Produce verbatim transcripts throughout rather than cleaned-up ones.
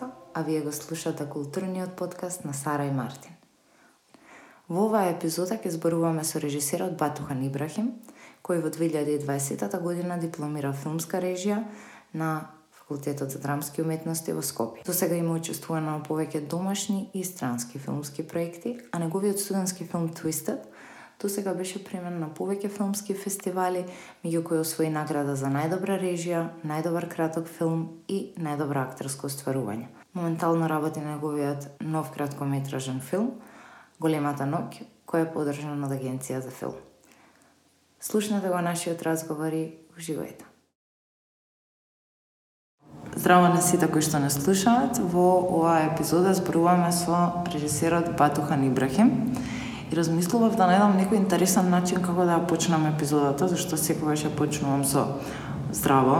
Даска, а вие го слушате културниот подкаст на Сара и Мартин. Во оваа епизода ќе зборуваме со режисерот Батухан Ибрахим, кој во две илјади и дваесета година дипломира филмска режија на Факултетот за драмски уметности во Скопје. До сега има учествувано на повеќе домашни и странски филмски проекти, а неговиот студентски филм Twisted до сега беше премен на повеќе филмски фестивали, меѓу кои освои награда за најдобра режија, најдобар краток филм и најдобро актерско остварување. Моментално работи на неговиот нов краткометражен филм Големата ноќ, кој е поддржан од Агенција за филм. Слушнете го нашиот разговор и уживајте. Здраво на сите кои што не слушаат. Во оваа епизода зборуваме со режисерот Батухан Ибрахим и размислував да најдам некој интересен начин како да ја почнам епизодата, зашто секогаш ја почнувам со здраво.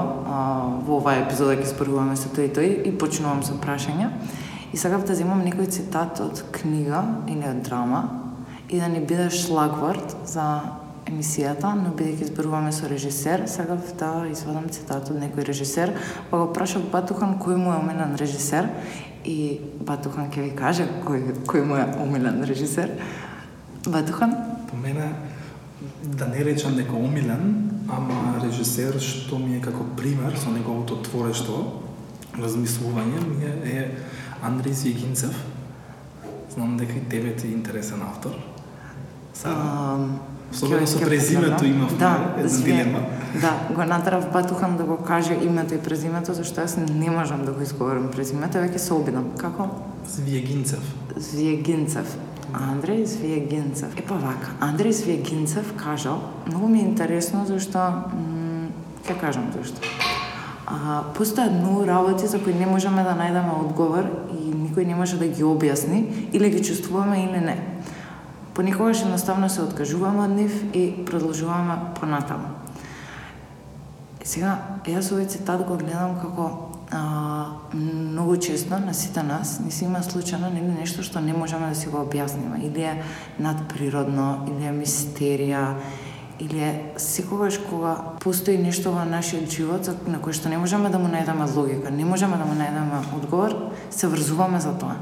Во оваа епизода ќе зборуваме со тој и тој и почнувам со прашања. И сакав да земам некој цитат од книга или од драма и да не биде шлагворд за емисијата, но бидејќи зборуваме со режисер, сакав да извадам цитат од некој режисер, па го прашав Батухан кој му е омилен режисер и Батухан ќе ви каже кој, кој му е омилен режисер. Батухан? По мене, да не речам дека омилен, ама режисер што ми е како пример со неговото творештво, размислување, ми е, е Андрей Звјегинцев. Знам дека и тебе ти е интересен автор. Особено со презимето имав да, една дилема. Да, го натрав Батухан да го каже името и презимето, зашто јас не можам да го изговорам презимето, веќе се обидам. Како? Звјегинцев. Звјегинцев. Андрей Звјегинцев. Епа вака, Андрей Звјегинцев кажал, многу ми е интересно зашто, м- ќе кажам зашто. А, постојат многу работи за кои не можеме да најдеме одговор и никој не може да ги објасни, или ги чувствуваме или не. Понекогаш едноставно се откажуваме од нив и продолжуваме понатаму. Сега, јас овој цитат го гледам како а, многу често на сите нас не си има случајно нели нешто што не можеме да си го објасниме, или е надприродно, или е мистерија, или е секогаш кога постои нешто во нашиот живот на кое што не можеме да му најдеме логика, не можеме да му најдеме одговор, се врзуваме за тоа.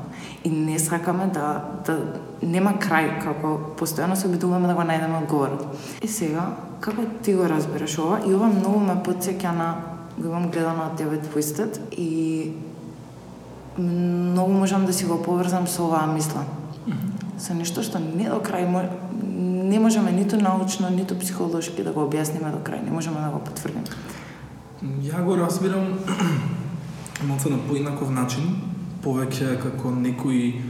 И не сакаме да, да нема крај, како постојано се обидуваме да го најдеме одговорот. И сега, како ти го разбираш ова? И ова многу ме потсеќа на, го имам гледано од тебе Twisted и многу можам да си го поврзам со оваа мисла. Mm-hmm. Со нешто што не до крај не можеме ниту научно, ниту психолошки да го објасниме до крај, не можеме да го потврдиме. Ја го разбирам малку на поинаков начин, повеќе како некои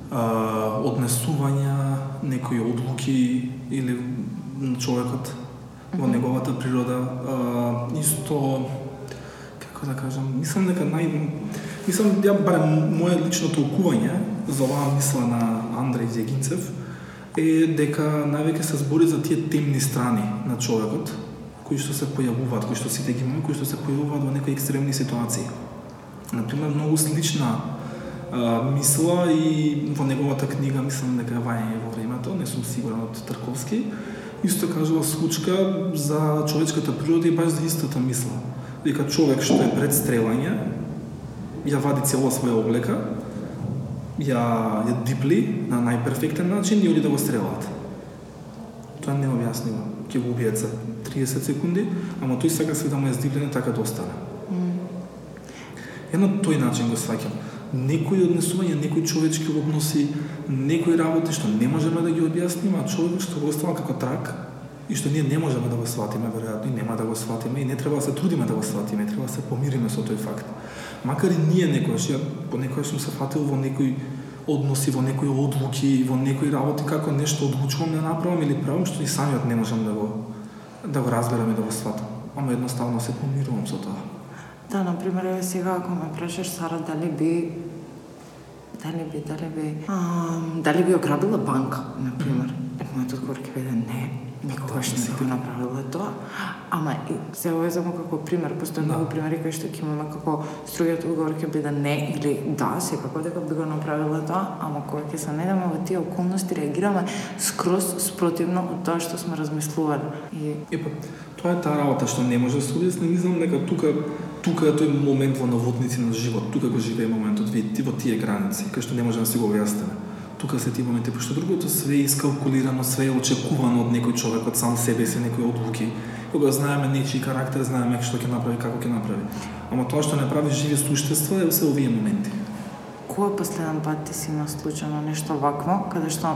а, однесувања, некои одлуки или човекот mm-hmm. во неговата природа. А, исто, како да кажам, мислам дека нај... Мислам, ја барем моје лично толкување за оваа мисла на Андрей Звјегинцев е дека највеќе се збори за тие темни страни на човекот, кои што се појавуваат, кои што сите ги имаме, кои што се појавуваат во некои екстремни ситуации. Например, многу слична а, мисла и во неговата книга, мислам дека Вајање во времето, не сум сигурен, од Тарковски, исто кажува случка за човечката природа и баш за истата мисла. Дека човек што е пред стрелање, ја вади цела своја облека, ја, ја дипли на најперфектен начин и оди да го стрелат. Тоа не објаснива. Ќе го убијат за триесет секунди, ама тој сака се да му е здиплене така да остане. Mm. Ја на тој начин го сваќам. Некои однесувања, некои човечки односи, некои работи што не можеме да ги објасниме, а човек што го остава како трак и што ние не можеме да го сватиме, веројатно и нема да го сватиме и не треба да се трудиме да го сватиме, треба да се помириме со тој факт. Макар и ние некојаш, ја понекогаш сум се фатил во некои односи, во некои одлуки, во некои работи како нешто одлучувам да направам или правам што и самиот не можам да го да го разберам и да го сватам. Ама едноставно се помирувам со тоа. Да, например, еве сега ако ме прашаш Сара дали би дали би дали би а, дали би ограбила банка, например. Mm-hmm. Мојот одговор ќе биде не. Никогаш не би го направила тоа. Ама и се овезамо како пример, постои многу примери кои што ќе имаме како стругиот одговор ќе биде не или да, секако дека би го направила тоа, ама кога ќе се најдеме во тие околности реагираме скроз спротивно од тоа што сме размислували. И Епа, тоа е таа работа што не може да се објасни, мислам дека тука тука е тој момент во наводници на живот, тука го живее моментот во тие граници, кај што не може да си го објасниме. Тука се тие моменти, пошто другото све е искалкулирано, све е очекувано од некој човек, од сам себе си, некои одлуки. Кога знаеме нечи карактер, знаеме што ќе направи, како ќе направи. Ама тоа што не прави живи суштества е се овие моменти. Кој последен пат ти си има случајно нешто вакво, каде што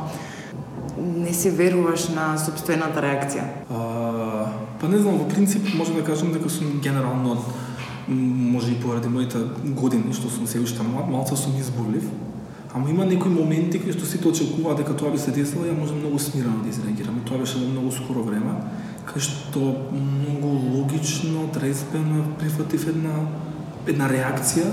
не си веруваш на собствената реакција? А, па не знам, во принцип може да кажам дека сум генерално, може и поради моите години што сум се уште млад, малку сум изборлив. Ама има некои моменти кај што сите очекуваат дека тоа би се десило и ја можам многу смирено да изреагирам. Тоа беше во многу скоро време, кај што многу логично, трезвено прифатив една една реакција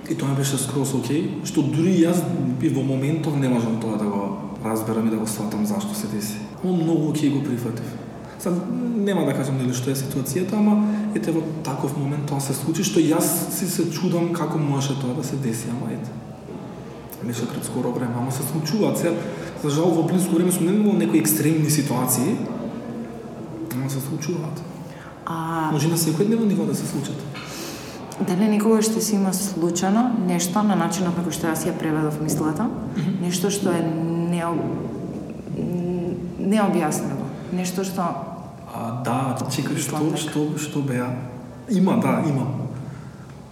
и тоа ми беше скроз окей, што дури јас би во моментов не можам тоа да го разберам и да го сватам зашто се деси. Но многу окей го прифатив. Сад нема да кажам нели што е ситуацијата, ама ете во таков момент тоа се случи што јас си се чудам како може тоа да се деси, ама ете. Беше пред скоро време, ама се случуваат се. За жал во близко време сум не имал некои екстремни ситуации, ама се случуваат. А... Може на секојдневно ниво да се случат. Дали никогаш ще си има случано нешто на начинот на кој што јас ја преведов мислата, mm-hmm. нешто што е необ... необјаснено, нешто што... А, да, чекај, што, што, што беа? Има, да, има.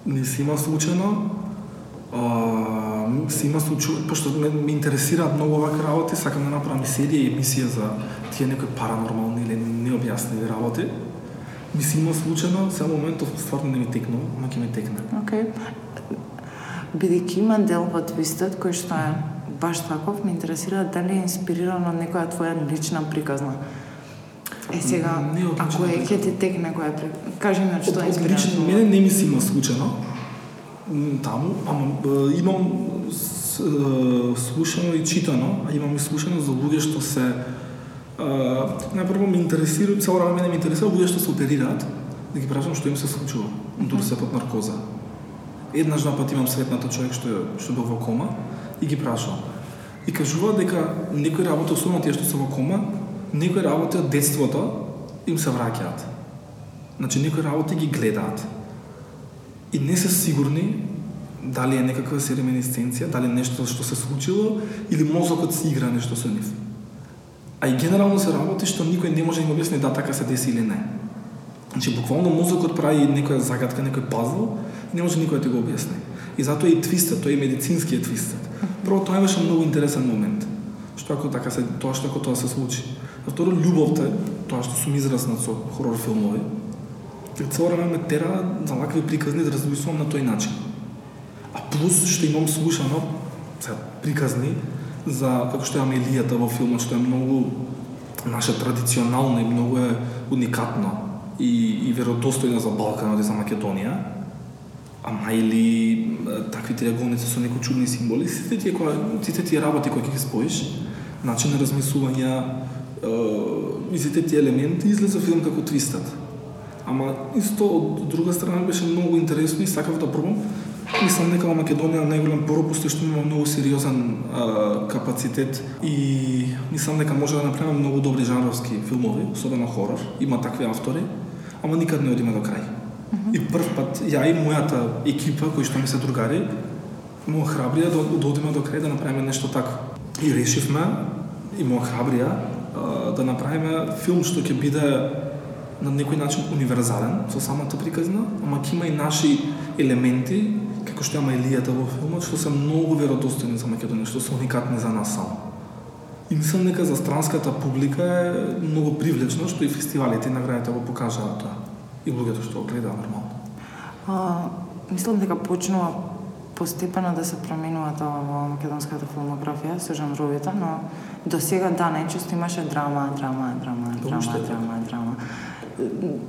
Не си има случано, а, си има случај, пошто ме, ме интересираат многу овакви работи, сакам да направам и серија и емисија за тие некои паранормални или необјаснени работи. Ми си има случано, сега моментов стварно не ми текнува, ама ќе ми текне. Окей. Okay. Бидејќи има дел во твистот кој што е баш таков, ме интересира дали е инспирирано од некоја твоја лична приказна. Е сега, ако е ќе ти текне која е приказна, кажи ми од што е инспирирано. Лично мене не ми си има случано таму, ама имам слушано и читано, а имам и слушано за луѓе што се Uh, најпрво ме интересира, цело време мене ме интересира луѓе што се оперираат, да ги прашам што им се случува, дури се под наркоза. Еднаш напат имам сретната човек што што бил во кома и ги прашам. И кажуваат дека некои работи, особено тие што се во кома, некои работи од детството им се враќаат. Значи некои работи ги гледаат. И не се сигурни дали е некаква реминисценција, дали нешто што се случило или мозокот си игра нешто со нив. А и генерално се работи што никој не може да им објасни да така се деси или не. Значи, буквално мозокот прави некоја загадка, некој пазл, не може никој да го објасни. И затоа и твистот, тој е медицинскиот твистот. Прво, тоа беше многу интересен момент. Што ако така се, тоа што ако тоа се случи. А второ, љубовта, тоа што сум израснат со хорор филмови, цело време ме тера за вакви приказни да размислувам на тој начин. А плюс што имам слушано, сега, приказни, за како што имаме Илијата во филмот, што е многу наша традиционална и многу е уникатно и, и веродостојна за Балканот и за Македонија. Ама или такви триаголници со некои чудни символи, сите тие, кои, сите тие работи кои ги споиш, начин на размислување и сите тие елементи излезе филм како твистат. Ама исто од друга страна беше многу интересно и сакав да пробам. Мислам дека во Македонија најголем пропуст е што има многу сериозен а, капацитет и мислам дека може да направиме многу добри жанровски филмови, особено хорор. Има такви автори, ама никад не одиме до крај. Mm-hmm. И прв пат ја и мојата екипа, кои што ми се другари, ме охрабрија да, да одиме до крај да направиме нешто така. И решивме, и ме охрабрија а, да направиме филм што ќе биде на некој начин универзален со самата приказна, ама ќе има и наши елементи како што има Илијата во филмот, што се многу веродостојни за Македонија, што се уникатни за нас само. И мислам дека за странската публика е многу привлечно, што и фестивалите и наградите го покажаат тоа. И луѓето што го гледаат нормално. А, мислам дека почнува постепено да се променува тоа во македонската филмографија со жанровите, но до сега да, најчесто имаше драма, драма, драма, драма, драма, драма.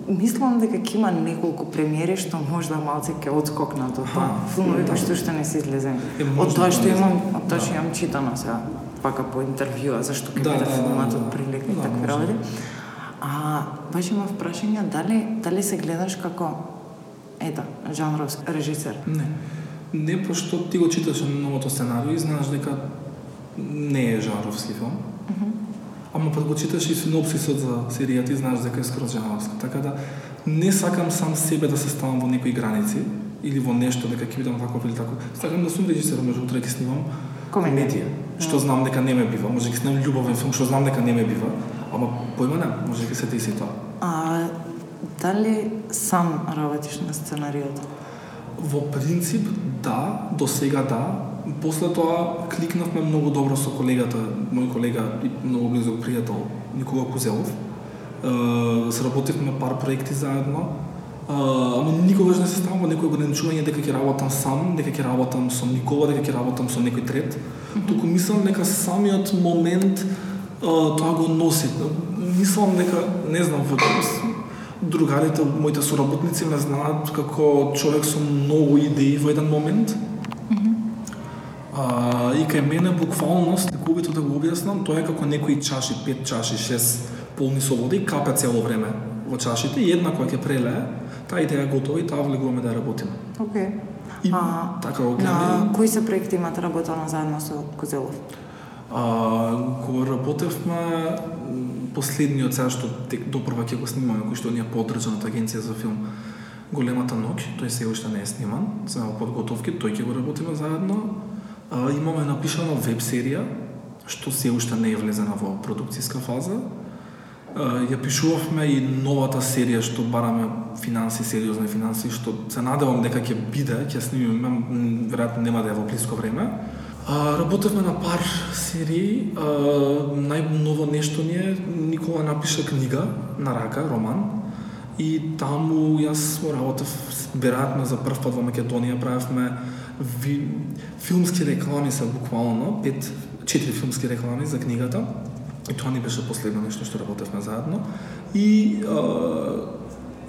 Мислам дека ќе има неколку премиери што можда малце ќе одскокнат од тоа. Филмови кои што што не се излезени. Од тоа што имам, од тоа што имам читано сега, пака по интервјуа зашто ќе биде филмот од прилика и такви работи. А баш имав прашање дали дали се гледаш како ета жанровски режисер? Не. Не, пошто ти го читаш новото сценарио и знаеш дека не е жанровски филм. Mm-hmm. Ама пред го читаш и синопсисот за серијата и знаеш дека е скроз жанровска. Така да Не сакам сам себе да се ставам во некои граници или во нешто дека ќе бидам таков или таков. Сакам да сум режисер, може утре ќе снимам комедија, што знам дека не ме бива, може ќе снимам љубовен филм што знам дека не ме бива, ама појма не, може ќе се деси тоа. А дали сам работиш на сценариото? Во принцип да, до сега да. После тоа кликнавме многу добро со колегата, мој колега и многу близок пријател Никола Кузелов. Uh, сработивме пар проекти заедно, uh, ама никогаш не се ставам во некој ограничување дека ќе работам сам, дека ќе работам со Никола, дека ќе работам со некој трет. Mm-hmm. Туку мислам дека самиот момент uh, тоа го носи. Мислам дека, не знам, во другарите, моите соработници ме знаат како човек со многу идеи во еден момент. Mm-hmm. Uh, и кај мене буквално, сликувито да го објаснам, тоа е како некои чаши, пет чаши, шест полни со вода и капе цело време во чашите и една која ќе прелее, таа идеја готова и таа влегуваме да работиме. Окей. И а, така го гледаме. На кои се проекти имате работено заедно со Кузелов? А, кога работевме последниот сега што тек допрва ќе го снимаме, кој што ние поддржаната агенција за филм Големата ноќ, тој се уште не е сниман, се во подготовки, тој ќе го работиме заедно. А, имаме напишана веб серија што се уште не е влезена во продукцијска фаза. Uh, ја пишувавме и новата серија што бараме финанси, сериозни финанси, што се надевам дека ќе биде, ќе снимиме, веројатно нема да е во блиско време. Uh, работевме на пар серии, uh, најново нешто ни е, Никола напиша книга на рака, роман, и таму јас работев, веројатно за прв пат во Македонија, правевме ви, филмски реклами се буквално, пет, четири филмски реклами за книгата. И тоа ни беше последно нешто што работевме заедно. И а,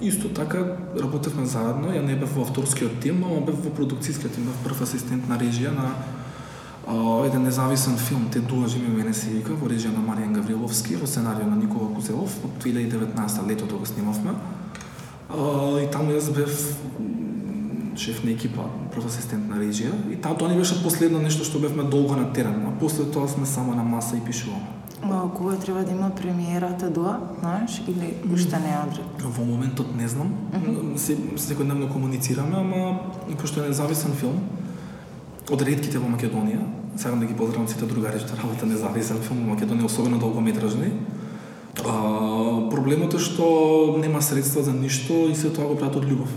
исто така работевме заедно, ја не бев во авторскиот тим, ама бев во продукцијскиот тим, бев прв асистент на режија на а, еден независен филм, Те дуажи ми мене се вика, во режија на Маријан Гавриловски, во сценарио на Никола Кузелов, од две илјади и деветнаесета летото го снимавме. А, и таму јас бев шеф на екипа, прв асистент на режија, и таа тоа ни беше последно нешто што бевме долго на терен, а после тоа сме само на маса и пишуваме. А, кога треба да има премиерата доа, знаеш, или уште не е одред? Во моментот не знам. Mm-hmm. Се, секојдневно комуницираме, ама пошто е независен филм, од ретките во Македонија, сакам да ги поздравам сите другари што работат независен филм во Македонија, особено долгометражни. А, проблемот е што нема средства за ништо и се тоа го прават од љубов.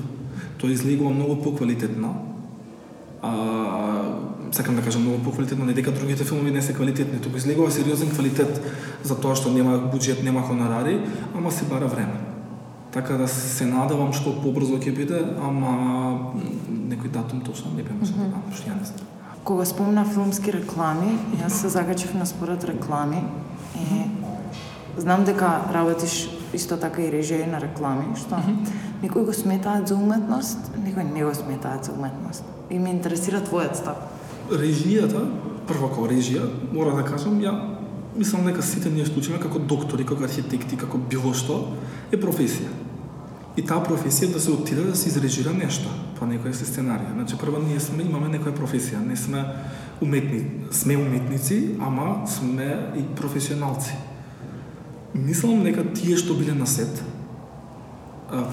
Тоа излегува многу поквалитетно. А, сакам да кажам многу поквалитетно, не дека другите филмови не се квалитетни, туку излегува сериозен квалитет за тоа што нема буџет, нема хонорари, ама се бара време. Така да се надевам што побрзо ќе биде, ама некој датум точно не би можел да дам, што ја не знам. Кога спомна филмски реклами, јас се закачив на според реклами и знам дека работиш исто така и режија на реклами, што mm-hmm. некои го сметаат за уметност, некои не го сметаат за уметност. И ме интересира твојот став. Режијата, прво како режија, мора да кажам, ја мислам дека сите ние случиме како доктори, како архитекти, како било што, е професија. И таа професија да се отиде да се изрежира нешто, по некоја се сценарија. Значи, прво ние сме, имаме некоја професија, не сме уметни, сме уметници, ама сме и професионалци. Мислам дека тие што биле на сет, а,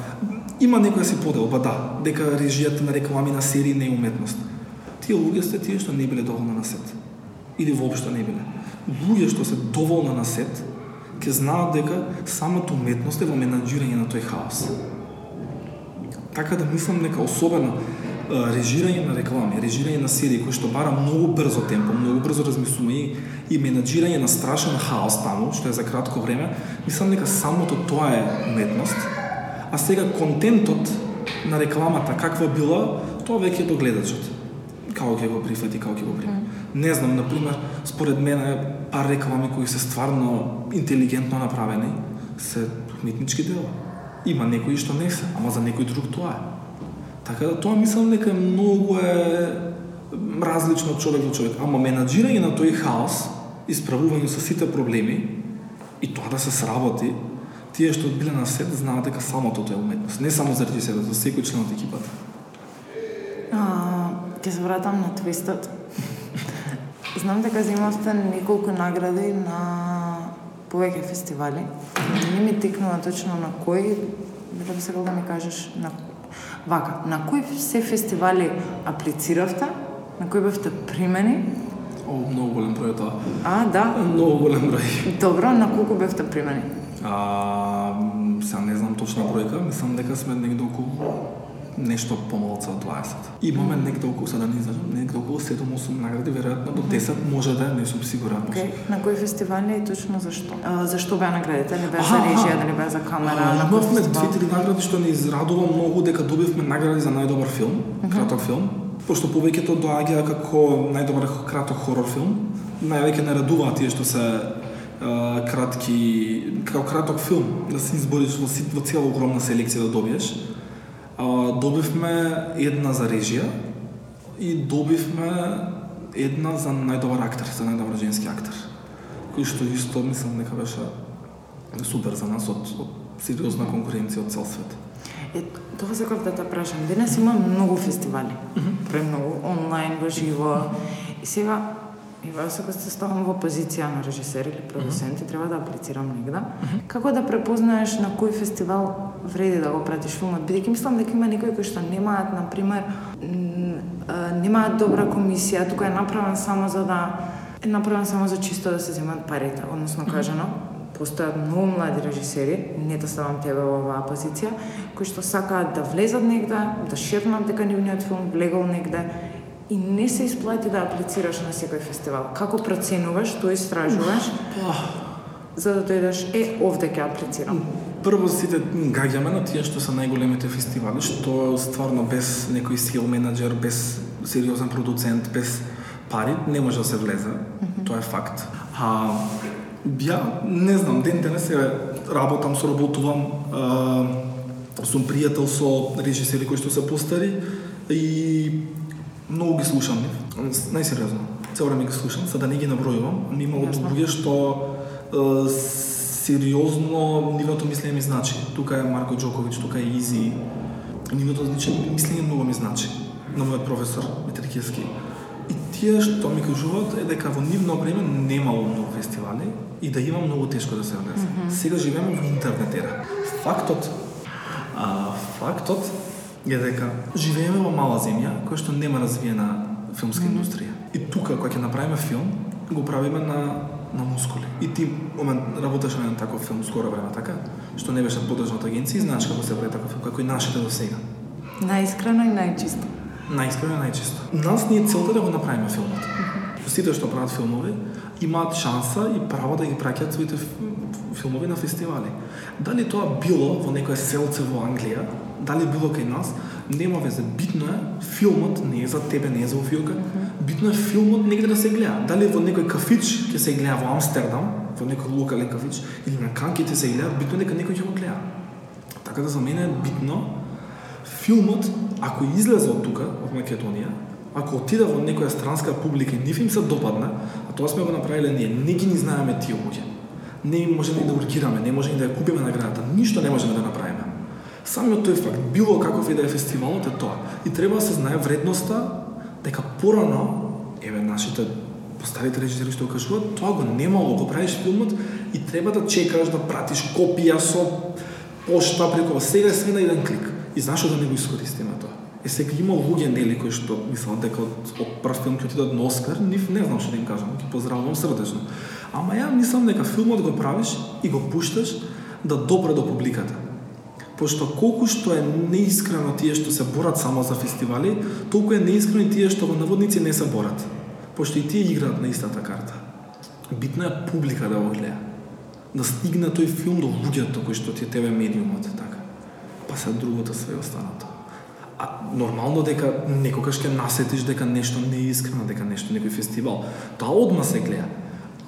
има некоја си поделба, да, дека режијата на реклами на серии не е уметност. Тие луѓе сте тие што не биле доволно на сет. Или воопшто не биле. Луѓе што се доволно на сет, ќе знаат дека самата уметност е во менаџирање на тој хаос. Така да мислам дека особено режирање на реклами, режирање на серии кои што бара многу брзо темпо, многу брзо размислување и, и менаџирање на страшен хаос таму, што е за кратко време, мислам дека самото тоа е уметност. А сега контентот на рекламата каква била, тоа веќе е до гледачот. Како ќе го прифати, како ќе го прими. Mm. Не знам, например, според мене пар реклами кои се стварно интелигентно направени се уметнички дела. Има некои што не се, ама за некој друг тоа е. Така да тоа мислам дека многу е различно од човек до човек, ама менаџирање на тој хаос, исправување со сите проблеми и тоа да се сработи, тие што биле на сет знаат дека самото тоа е уметност, не само заради себе, за секој член од екипата. Ќе се вратам на твистот. Знам дека земавте неколку награди на повеќе фестивали. Не ми текнува точно на кој, дали би сакал да ми кажеш на вака, на кои се фестивали аплициравте, на кои бевте примени? О, многу голем број тоа. А, да? Многу голем број. Добро, на колку бевте примени? А, сега не знам точна бројка, мислам дека сме негде околу нешто помалку од дваесет. Имаме mm. негде околу, сега да не излажам, негде околу седум-осум награди, веројатно до десет може да е, не сум сигурен. Okay. На кои фестивали и точно зашто? А, зашто беа наградите? Дали беа за режија, дали беа за камера? А, имавме две-три награди што ни израдува многу дека добивме награди за најдобар филм, mm-hmm. краток филм. Пошто повеќето доаѓа како најдобар краток хорор филм, највеќе не радуваат тие што се а, кратки, како краток филм, да се избориш во, во цела огромна селекција да добиеш. А, добивме една за режија и добивме една за најдобар актер, за најдобар женски актер. Кој што исто мислам дека беше супер за нас од, од сериозна конкуренција од цел свет. Е, тоа сакав да те прашам. Денес има многу фестивали. Mm-hmm. Премногу онлайн, во живо. И сега, и вас ако се ставам во позиција на режисер или продуцент, mm-hmm. треба да аплицирам негда. Mm-hmm. Како да препознаеш на кој фестивал вреди да го пратиш филмот? Бидејќи мислам дека има некои кои што немаат, на пример, немаат добра комисија, тука е направен само за да е направен само за чисто да се земат парите, односно кажано. Mm-hmm. Постојат многу млади режисери, не да ставам тебе во оваа позиција, кои што сакаат да влезат негде, да шепнат дека нивниот филм влегол негде и не се исплати да аплицираш на секој фестивал. Како проценуваш, што истражуваш, за да дојдеш, е, овде ќе аплицирам? Прво сите гаѓаме на тие што се најголемите фестивали, што стварно без некој сил менаџер, без сериозен продуцент, без пари, не може да се влезе. Mm-hmm. Тоа е факт. А ја, не знам, ден денес се работам, соработувам, а, сум пријател со режисери кои што се постари и многу ги слушам нив, најсериозно. Цело време ги слушам, за да не ги набројувам, ми има луѓе што а, сериозно нивото мислење ми значи. Тука е Марко Џоковиќ, тука е Изи. Нивото мислење многу ми значи. На мојот професор Митрикевски. И тие што ми кажуваат е дека во нивно време немало многу фестивали и да има многу тешко да се влезе. Mm-hmm. Сега живееме во интернет ера. Фактот, а, фактот е дека живееме во мала земја која што нема развиена филмска mm-hmm. индустрија. И тука кога ќе направиме филм, го правиме на на мускули. И ти момент работеш на еден таков филм скоро време, така? Што не беше подржана од агенција, знаеш како се прави таков филм, како и нашите до сега. Најискрено и најчисто. Најискрено и најчисто. Нас ни е целта да го направиме филмот. Mm-hmm. Сите што прават филмови имаат шанса и право да ги праќаат своите филмови на фестивали. Дали тоа било во некое селце во Англија, дали било кај нас, нема везе. Битно е, филмот не е за тебе, не е за Офиока. Mm-hmm. Битно е филмот негде да се гледа. Дали во некој кафич ќе се гледа во Амстердам, во некој локален кафич, или на Кан ќе се гледа, битно е дека некој ќе го гледа. Така да за мене е битно филмот, ако излезе од тука, од Македонија, ако отиде во некоја странска публика и нив им се допадне, а тоа сме го направиле ние, не ги ни знаеме тие луѓе. Не можеме да ургираме, не можеме да ја купиме наградата, ништо не можеме да направиме. Самиот тој факт, било каков и да е фестивалот е тоа. И треба да се знае вредноста дека порано, еве нашите постарите режисери што кажуваат, тоа го немало, го правиш филмот и треба да чекаш да пратиш копија со пошта преку, сега е све на еден клик. И зашто да не го искористиме тоа? Е, сега има луѓе нели кои што мислат дека од, од прв филм ќе отидат на Оскар, нив не знам што да им кажам, ќе поздравувам срдечно. Ама ја мислам дека филмот го правиш и го пушташ да допре до публиката. Пошто колку што е неискрено тие што се борат само за фестивали, толку е неискрено и тие што во наводници не се борат. Пошто и тие играат на истата карта. Битна е публика да го гледа. Да стигне тој филм до луѓето кои што ти е тебе медиумот, така. Па се другото све останато. А нормално дека некогаш ќе насетиш дека нешто не е искрено, дека нешто некој фестивал. Тоа одма се гледа.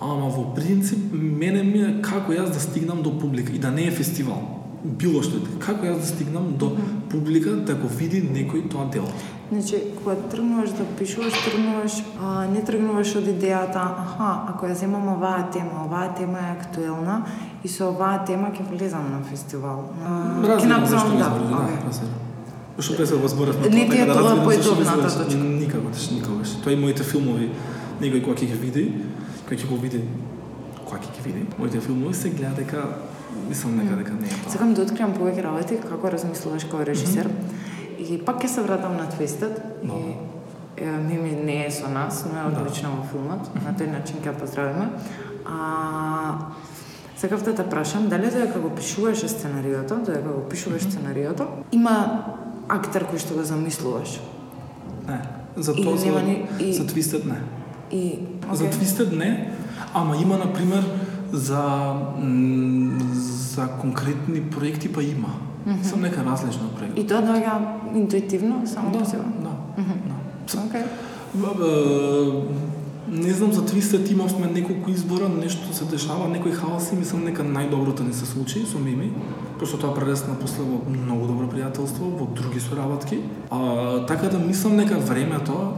Ама во принцип мене ми е како јас да стигнам до публика и да не е фестивал. Било што е, како јас да стигнам до публика да го види некој тоа дело. Значи, кога тргнуваш да пишуваш, тргнуваш, а, не тргнуваш од идејата, аха, ако ја земам оваа тема, оваа тема е актуелна и со оваа тема ќе влезам на фестивал. Разбирам зашто да, разбирам. Што пред се возборевме тоа, дека да разбирам зашто точка. Никогаш, никогаш. Тоа и моите филмови, некој кога ќе ги види, кога ќе го види, кога ќе ги види, моите филмови се гледа дека мислам нека дека не е тоа. Сакам да откриам повеќе работи како размислуваш како режисер. Mm-hmm. И пак ќе се вратам на твистот. No. И е, Мими не е со нас, но е одлична во филмот. Mm-hmm. На тој начин ќе ја поздравиме. А сакав да те прашам, дали додека го пишуваш сценариото, додека го пишуваш mm-hmm. сценариото, има актер кој што го замислуваш? Не. За тоа за, ни... и... за твистот не. И okay. За твистот не, ама има на пример за за конкретни проекти па има. Mm-hmm. Сам нека различна проекти. И тоа доаѓа интуитивно само да, по себе. Да. Mm-hmm. Да. Окей. Okay. Не знам за твистот имавме неколку избора, нешто се дешава, некои хаоси, мислам нека најдоброто не се случи со Мими. Пошто тоа прерасна после во многу добро пријателство, во други соработки. А, така да мислам нека времето,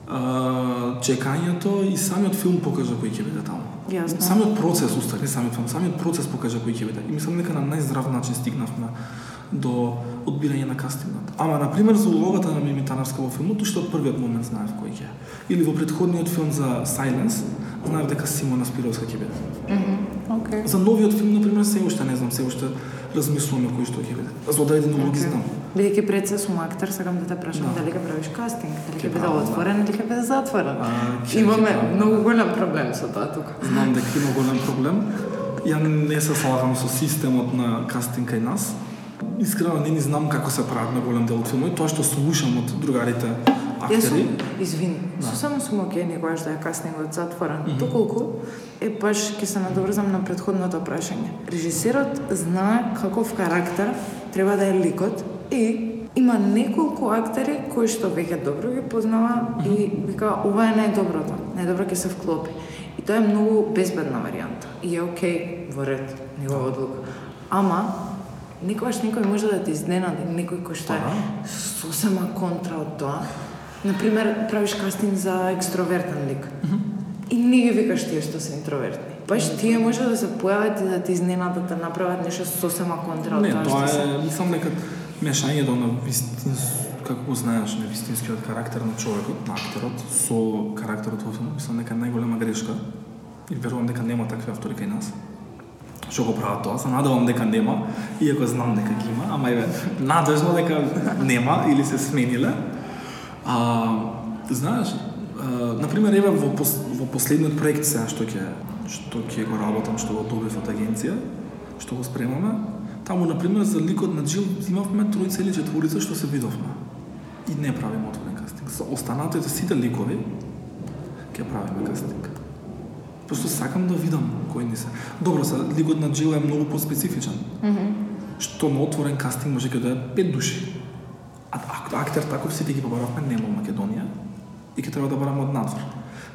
а, чекањето и самиот филм покажа кој ќе биде таму. Јасно. Самиот процес, устари, самиот филм, самиот процес покажа кој ќе биде. И мислам нека на најздрав начин стигнавме до одбирање на кастингот. Ама на пример за улогата на Мими Таневска во филмот, што од првиот момент знаев кој ќе. Или во претходниот филм за Silence, знаев дека Симона Спировска ќе биде. Мм, окей. За новиот филм на пример се уште не знам, се уште размислуваме кој што ќе биде. За одредени улоги знам. Бидејќи пред се сум актер, сакам да те прашам да. дали ќе правиш кастинг, дали ќе биде отворен или ќе биде затворен. А, Имаме ке, многу голем проблем со тоа тука. Знам дека има голем проблем. Ја не се слагам со системот на кастинг кај нас. Искрено не ни знам како се прават на голем дел од филмот, тоа што слушам од другарите актери. Јас сум, извини, да. сосема сум окей некогаш да е кастингот затворен. Mm-hmm. Доколку е баш ќе се надоврзам на претходното прашање. Режисерот знае каков карактер треба да е ликот и има неколку актери кои што веќе добро ги познава mm-hmm. и вика ова е најдоброто, најдобро ќе се вклопи. И тоа е многу безбедна варијанта. И е окей во ред, негова одлука. Ама некогаш некој може да те изненади, некој кој што е сосема контра од тоа. Например, правиш кастинг за екстровертен лик. Mm-hmm. И не ги викаш тие што се интровертни. Баш тие може да се појават и да те изненадат, да направат нешто сосема контра од тоа што се. се. Не, тоа е, мислам дека мешањето на вистинс, како го знаеш, на вистинскиот карактер на човекот, на актерот, со карактерот во филмот, мислам дека е најголема грешка. И верувам дека нема такви автори кај нас. Што го прават тоа, се надевам дека нема, иако знам дека ги има, ама е надежно дека нема или се смениле. А, знаеш, а, например, еве во, пос, во последниот проект сега што ќе што ќе го работам, што го добив од агенција, што го спремаме, таму например за ликот на Джил имавме тројца или четворица што се видовме. И не правиме отворен кастинг. За останатите сите ликови ќе правиме кастинг. Просто сакам да видам кој ни се. Добро, се ликот на Джил е многу поспецифичен. Mm-hmm. Што на отворен кастинг може ќе дојдат пет души. А актер таков сите ги побаравме не во Македонија и ќе треба да бараме од надвор.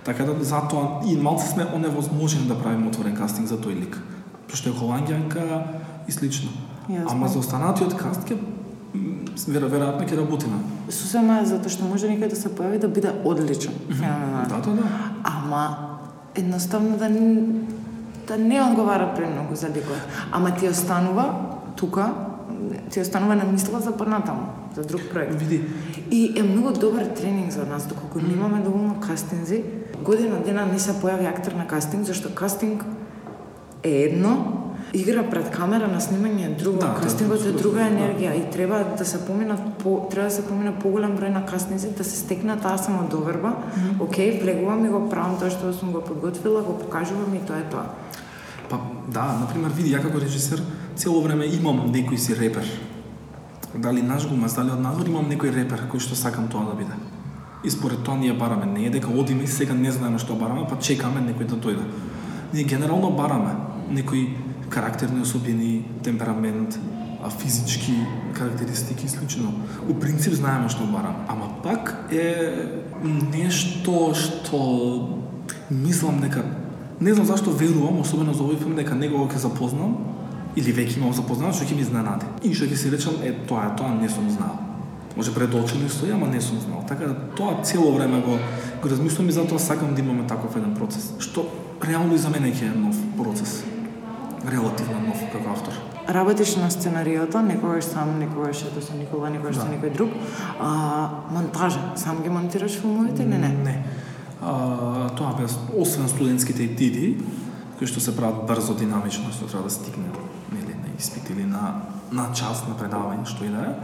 Така да затоа и малку сме оневозможени да правиме отворен кастинг за тој лик. Пошто е холанѓанка и слично. Јасно. Ама за останатиот каст ќе вера веројатно ќе работиме. Сосема затоа што може некој да се појави да биде одличен. Mm-hmm. Да, да, да. Ама едноставно да не, да не одговара премногу за ликот. Ама ти останува тука, ти останува на мисла за понатаму, за друг проект. Види. И е многу добар тренинг за нас, доколку mm. немаме доволно кастинзи. Година дена не се појави актер на кастинг, зашто кастинг е едно, игра пред камера на снимање е друго, да, кастингот е друга енергија и треба да се поминат по треба да се помина поголем број на кастинзи да се стекне таа самодоверба. Mm-hmm. Океј, влегувам и го правам тоа што сум го подготвила, го покажувам и тоа е тоа. Па да, например, види, ја како режисер цело време имам некој си репер. Дали наш гумас, дали од надвор имам некој репер кој што сакам тоа да биде. И според тоа ние бараме, не е дека одиме и сега не знаеме што бараме, па чекаме некој да дојде. Ние генерално бараме некои карактерни особини, темперамент, физички карактеристики и слично. У принцип знаеме што бараме, ама пак е нешто што мислам дека не знам зашто верувам, особено за овој филм, дека него ќе запознам или веќе имам запознат, што ќе ми изненади. И што ќе си речам, е тоа, тоа не сум знал. Може пред очи ми стои, ама не сум знал. Така тоа цело време го го размислувам и затоа сакам да имаме таков еден процес. Што реално и за мене ќе е нов процес. Релативно нов како автор. Работиш на сценариото, некогаш сам, некогаш ето со Никола, некогаш со да. Некој друг. А, монтажа, сам ги монтираш филмовите или не? Не. А, тоа бе, освен студентските етиди, кои што се прават брзо, динамично, што треба да стигне испит или на на час на предавање, што и да е.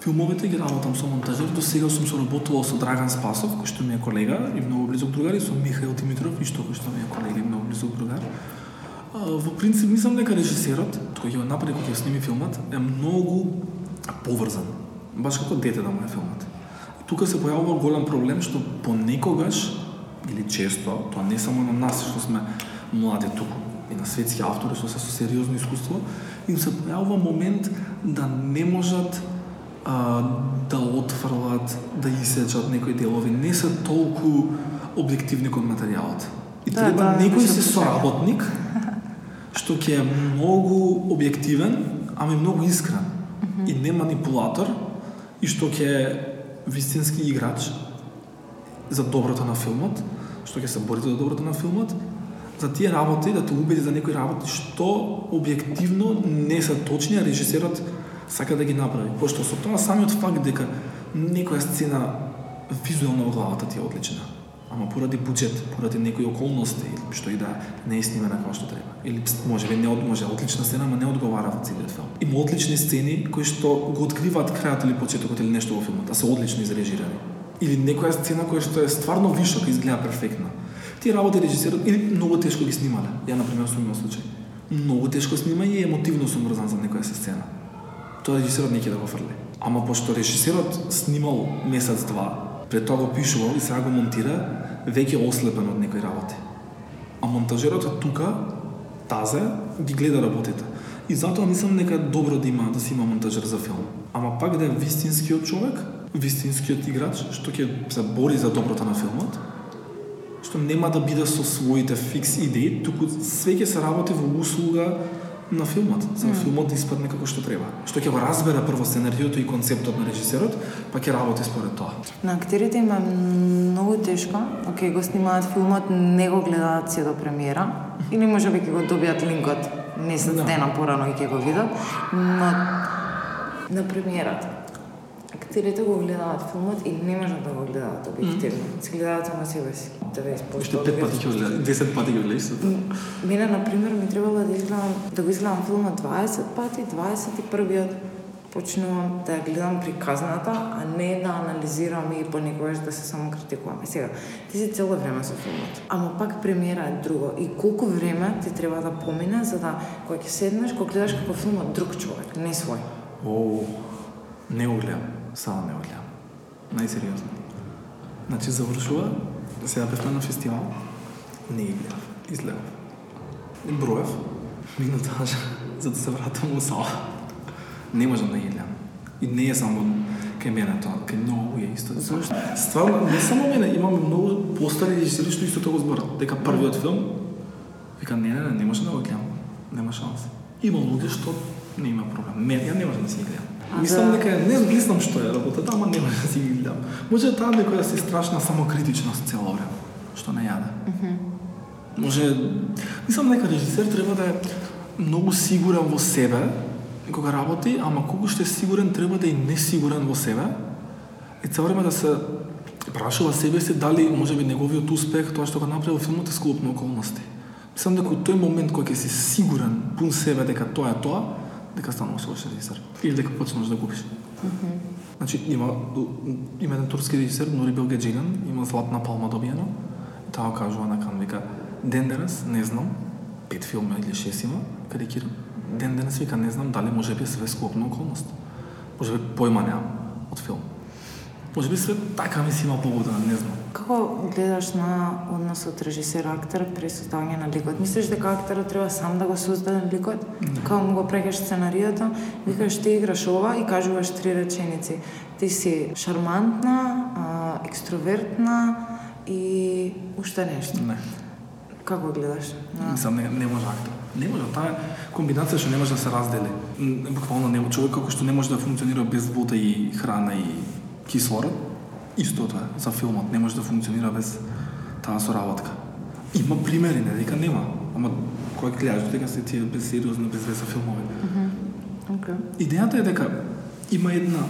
Филмовите ги работам со монтажер, до сега сум соработувал со Драган Спасов, кој што ми е колега и многу близок другар, и со Михаил Димитров, и што кој што ми е колега и многу близок другар. Во принцип, мислам дека режисерот, кој ќе го направи, кој ќе сними филмот, е многу поврзан. Баш како дете да му е филмот. И тука се појавува голем проблем, што понекогаш, или често, тоа не само на нас, што сме млади туку, и на светски автори што се со сериозно искуство, им се појавува момент да не можат а, да отфрлат, да исечат некои делови, не се толку објективни кон материјалот. И да, треба да, некој да, се соработник што ќе е многу објективен, ама и многу искрен. Mm-hmm. И не манипулатор, и што ќе е вистински играч за доброто на филмот, што ќе се бори за доброто на филмот, за тие работи, да те убеди за некои работи што објективно не се точни, а режисерот сака да ги направи. Пошто со тоа самиот факт дека некоја сцена визуелно во главата ти е одлична, ама поради буџет, поради некои околности или што и да не е снимена како што треба. Или можеби не од може одлична сцена, ама не одговара во целиот филм. Има одлични сцени кои што го откриваат крајот или почетокот или нешто во филмот, а се одлично изрежирани. Или некоја сцена која што е стварно вишок и изгледа перфектно. Тие работи режисерот или многу тешко ги снимале. Ја на пример сум имал случај. Многу тешко снимање и емотивно сум врзан за некоја сцена. Тоа режисерот не ќе да го фрли. Ама пошто режисерот снимал месец два, пред тоа го пишувал и сега го монтира, веќе ослепен од некои работи. А монтажерот е тука, тазе, ги гледа работите. И затоа мислам дека е добро да има да си има монтажер за филм. Ама пак да е вистинскиот човек, вистинскиот играч, што ќе се бори за доброто на филмот, што нема да биде со своите фикс идеи, туку све ќе се работи во услуга на филмот, за mm. филмот да испадне како што треба. Што ќе го разбере прво сценариото и концептот на режисерот, па ќе работи според тоа. На актерите им е многу тешко, окей, го снимаат филмот, не го гледаат се до премиера, или можеби ќе го добијат линкот месец да. дена порано и ќе го видат, но на премиерата актерите го гледаат филмот и не можат да го гледаат објективно. Mm. Се гледаат само себе си. Уште пет пати ќе го гледат, десет пати ќе го гледаш. Мене, например, ми требало да изгледам, да го изгледам филмот дваесет пати, дваесет и првиот почнувам да ја гледам приказната, а не да анализирам и понекогаш да се само критикувам. И сега, ти си цело време со филмот. Ама пак премиера е друго. И колку време ти треба да помине за да кога ќе седнеш, кога гледаш како филмот друг човек, не свој. О, не го гледам. Само не го гледам. Најсериозно. Значи завршува, сега бевме на фестивал, не ги гледав, изгледав. И броев, минутаж, за да се вратам во сала. Не можам да ги гледам. И не е само кај мене тоа, кај многу е исто. Зошто? Стварно, не само мене, имаме многу постари режисери што исто тоа го зборат. Дека првиот филм, вика, не, не, не, не може да го гледам. Нема шанс. Има луѓе што не има проблем. Не, ја не можам да си ги гледам. А мислам да... дека не, не знам што е работата, ама не може да си ги гледам. Може таа некоја си страшна самокритичност цело време, што не јаде. Mm-hmm. Може, мислам дека режисер треба да е многу сигурен во себе кога работи, ама колку што е сигурен треба да е несигурен во себе и цело време да се прашува себе си дали можеби неговиот успех, тоа што го направи во филмот е склоп на околности. Мислам дека тој момент кога ќе си сигурен пун себе дека тоа е тоа, дека стануваш лош режисер. Или дека почнеш да губиш. Mm-hmm. Значи, има, има еден турски режисер, Нури Белгаджиган, има златна палма добиено. И таа кажува на Кан, вика, ден денес, не знам, пет филма или шест има, карикирам. Ден денес, вика, не знам дали може би све склопна околност. Може би појма неам од филм. Може би све така ми си има погода, не знам. Како гледаш на односот режисер-актер при создавање на ликот? Мислиш дека актерот треба сам да го создаде ликот? Не. Као му го прегаш сценариото, викаш ти играш ова и кажуваш три реченици. Ти си шармантна, а, екстровертна и уште нешто. Не. Како гледаш? На... Мислам, не, не може актер. Не може, таа комбинација што не може да се раздели. Буквално не, човек како што не може да функционира без вода и храна и кислород, исто тоа за филмот, не може да функционира без таа соработка. Има примери, не дека нема, ама кој гледаш дека се тие без сериозно, без веса филмови. Mm-hmm. Okay. Идејата е дека има една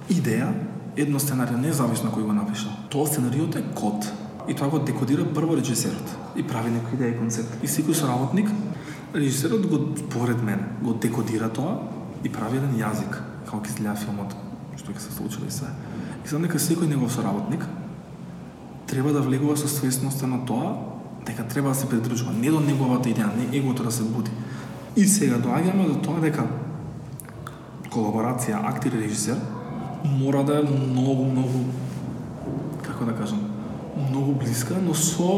идеја, едно сценарио, независно кој го напишал. Тоа сценариото е код и тоа го декодира прво режисерот и прави некој идеја и концепт. И секој соработник Режисерот го, според мен, го декодира тоа и прави еден јазик, како ќе изгледа филмот, што ќе се случи и се. И знам дека секој негов соработник треба да влегува со свесноста на тоа дека треба да се придржува не до неговата идеја, не егото да се буди. И сега доаѓаме до тоа дека колаборација актер и режисер мора да е многу, многу, како да кажам, многу блиска, но со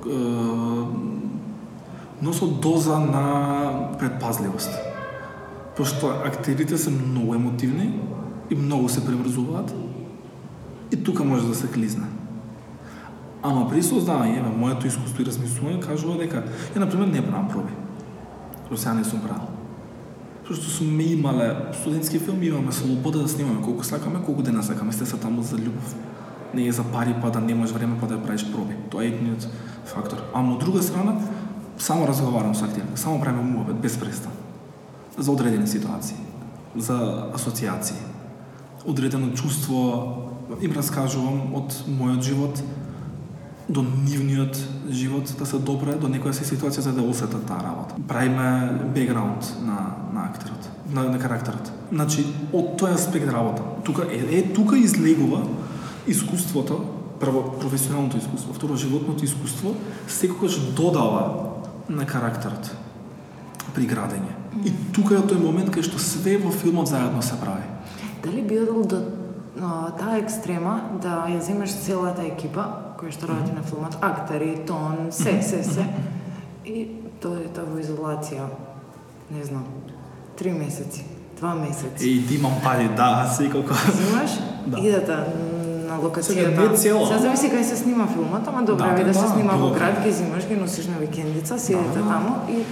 е, но со доза на предпазливост. Пошто актерите се многу емотивни и многу се преврзуваат и тука може да се клизне. Ама при создавање, еве, моето искуство и размислување кажува дека ја, например, не правам проби. До сега не сум правил. Зашто сме имале студентски филми, имаме слобода да снимаме колку сакаме, колку дена сакаме, сте се таму за љубов. Не е за пари, па да немаш време, па да правиш проби. Тоа е едниот фактор. Ама од друга страна, само разговарам со актерите, само правиме муабет, без престан. За одредени ситуации, за асоциации. Одредено чувство им раскажувам од мојот живот до нивниот живот да се допре до некоја си ситуација за да осетат таа работа. Правиме бекграунд на на актерот, на, на карактерот. Значи, од тој аспект работа. Тука е, е тука излегува искуството, прво професионалното искуство, второ животното искуство, секогаш додава на карактерот при градење. И тука е тој момент кај што све во филмот заедно се прави. Дали би одел до таа екстрема да ја земеш целата екипа која што работи mm-hmm. на филмот, актери, тон, се, се, се, и дојдете во изолација, не знам, три месеци, два месеци. И ти имам пари, да, секако. Земаш, да. Идете на локацијата. Сега зависи кај се снима филмот, ама добре да, да, да се снима да, во град, ги земаш, ги носиш на викендица, седите да, таму и...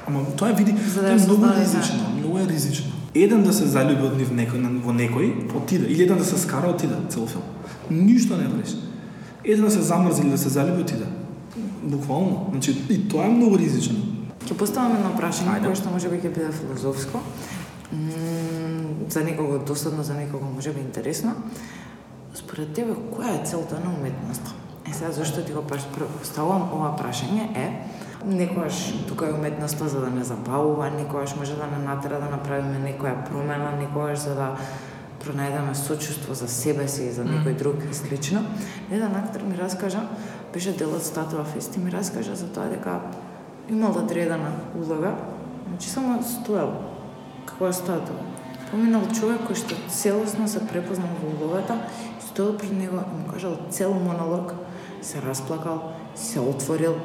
Ама тоа е, види, тоа е многу ризично, многу е ризично. Еден да се залюби од нив некој, во некој, отиде. Или еден да се скара, отиде, цел филм. Ништо не вреш. Еден да се замрзи или да се залюби, отиде. Буквално. Значи, и тоа е многу ризично. Ќе поставам едно прашање, кое што може би ќе биде филозофско. М- за некого досадно, за некого може би интересно. Според тебе, која е целта на уметноста? Е, сега, зашто ти го поставувам ова прашање е, некојаш тука е уметноста за да не забавува, некојаш може да не натера да направиме некоја промена, некојаш за да пронајдеме сочувство за себе си и за некој друг и слично. Еден актер ми раскажа, беше дел од Статуа Фест и ми раскажа за тоа дека имал одредена улога, значи само стоел како статуа. Поминал човек кој што целосно се препознал во улогата, стоел пред него и му кажал цел монолог, се расплакал, се отворил,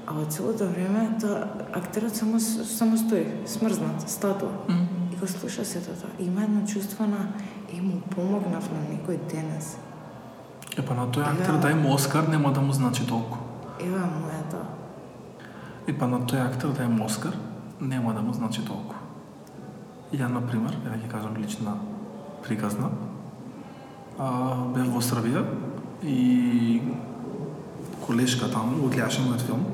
а во целото време тоа актерот само само стои, смрзнат, статуа. Mm. И го слуша сето тоа. Има едно чувство на и му помогнав на некој денес. Е, па на тој актер да има Оскар нема да му значи толку. Ева мојата. И па на тој актер да има Оскар нема да му значи толку. Ја, например, ја ќе кажам лична приказна, а, бев во Србија и колешка таму го гледаше мојот филм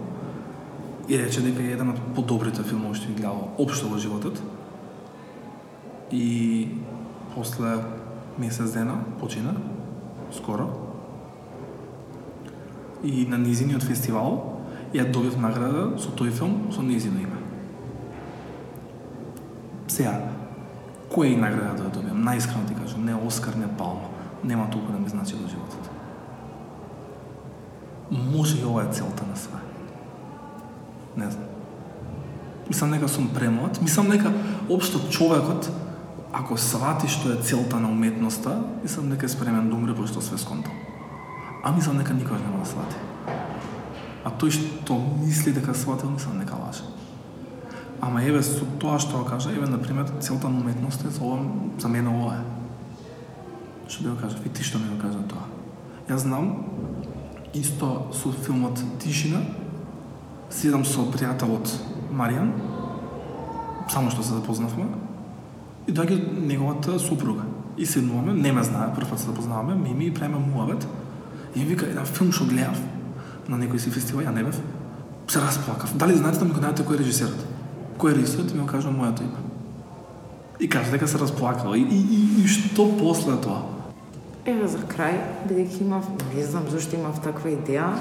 и рече дека е еден од подобрите филмови што ги гледал општо во животот. И после месец дена почина, скоро. И на низиниот фестивал ја добив награда со тој филм со низино име. Сега, која е награда да добиам? Најискрено ти кажам, не Оскар, не Палма. Нема толку да ми значи во животот. Може и ова е целта на све. Не знам. Мислам дека сум премлад. Мислам дека општо човекот, ако свати што е целта на уметноста, мислам дека е спремен да умре пошто све сконтал. А мислам дека никогаш нема да свати. А тој што мисли дека сватил, мислам дека лаже. Ама еве со тоа што го кажа, еве например целта на уметноста е за ова, за мене ова е. Што би го кажа, и ти што ми го кажа тоа. Јас знам исто со филмот Тишина, седам со пријателот Маријан, само што се запознавме, и доаѓа неговата супруга. И седнуваме, не ме знае, прв пат се запознаваме, Мими, и правиме муабет. И ми вика, еден филм што гледав на некој си фестивал, ја не бев, се расплакав. Дали знаете да ми го најдете кој е режисерот? Кој е режисерот? И ми го кажа мојото име. И кажа дека се расплакала. И, и, и, и што после тоа? Еве за крај, бидејќи имав, не знам зашто имав таква идеја,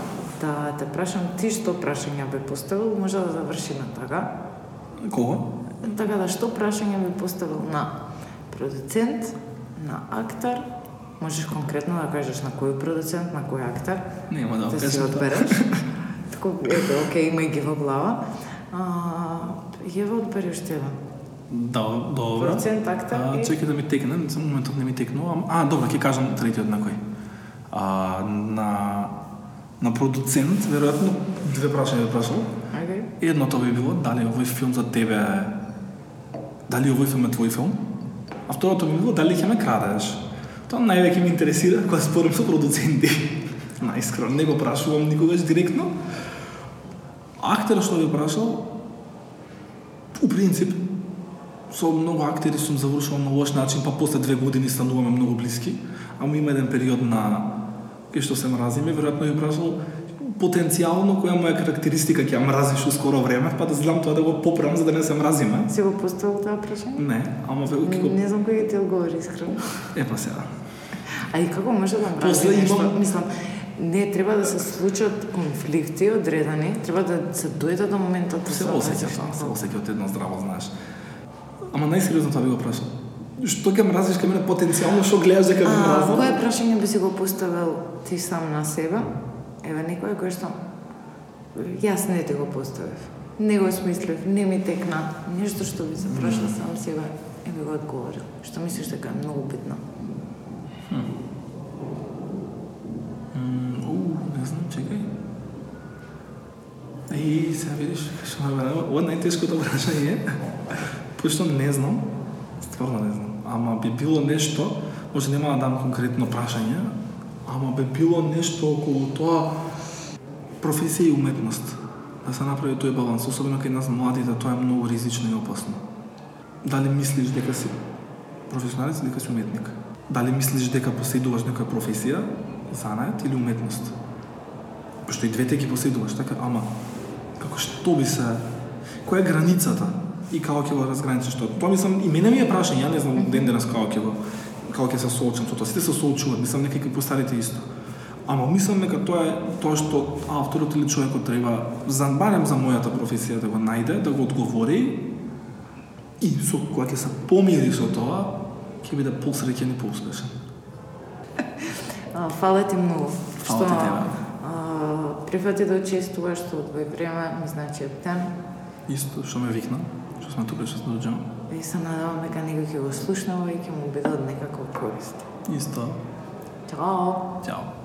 да те прашам ти што прашање би поставил, може да заврши на така. Кого? Така да, што прашање би поставил на продуцент, на актер, можеш конкретно да кажеш на кој продуцент, на кој актер, Нема да да си кажам. одбереш. Тако, ето, окей, има ги во глава. А, Ева, одбери уште еден. Да, добро. Продуцент, актер А, и... чекай да ми текне, за моментот не ми текнува. А, добро, ќе кажам третиот на кој. А, на на продуцент, веројатно две прашања би прашал. Окей. Едното би било дали овој филм за тебе е дали овој филм е твој филм? А второто би било дали ќе ме крадеш? Тоа највеќе ме интересира кога спорам со продуценти. Наискрено, не го прашувам никогаш директно. Актерот што би прашал, у принцип, со многу актери сум завршувал на лош начин, па после две години стануваме многу блиски, ама има еден период на кај што се мразиме, веројатно би прашал потенцијално која моја карактеристика ќе ја мразиш у скоро време, па да знам тоа да го поправам за да не се мразиме. Си го поставил тоа прашање? Не, ама ве ќе го Не знам кој ти одговори искрено. е па сега. А и како може да После мрази нешто? имам- Мислам, не треба да се случат конфликти одредени, треба да се дојде до моментот да Се се осеќаш, се осеќаш од едно здраво, знаеш. Ама најсериозно тоа би го прашал. Што ќе мразиш кај мене потенцијално, што гледаш дека ме А, мразам? кое прашање би си го поставил ти сам на себе? Еве некој кој што јас не ти го поставив. Не го смислив, не ми текна. Нешто што би се прашал сам себе и би го одговорил. Што мислиш дека е многу битно? М, у, не знам, чекај. И сега видиш, што ме бе, ова е најтешкото прашање. Пошто не знам, стварно не знам. Ама би било нешто, може нема да дам конкретно прашање, ама би било нешто околу тоа професија и уметност. Да се направи тој баланс, особено кај нас младите, тоа е многу ризично и опасно. Дали мислиш дека си професионалец или дека си уметник? Дали мислиш дека поседуваш некоја професија, занает или уметност? Пошто и двете ги поседуваш, така, ама како што би се, која е границата и како ќе го разграничиш тоа? Тоа мислам и мене ми е прашање, ја не знам ден денес како ќе го како ќе се соочам со тоа. Сите се соочуваат, мислам нека и постарите исто. Ама мислам дека тоа е тоа што авторот или човекот треба за барем за мојата професија да го најде, да го одговори и со кога ќе се помири со тоа, ќе биде посреќен и поуспешен. А, Фала ти многу. Фала ти тебе. а, прифати да учествуваш што одвои време, ми значи тем. Исто што ме викна, што сме тука што се доđам. И се надевам дека некој ќе го слушнува и ќе му биде од некаква корист. Исто. Чао! Ćao.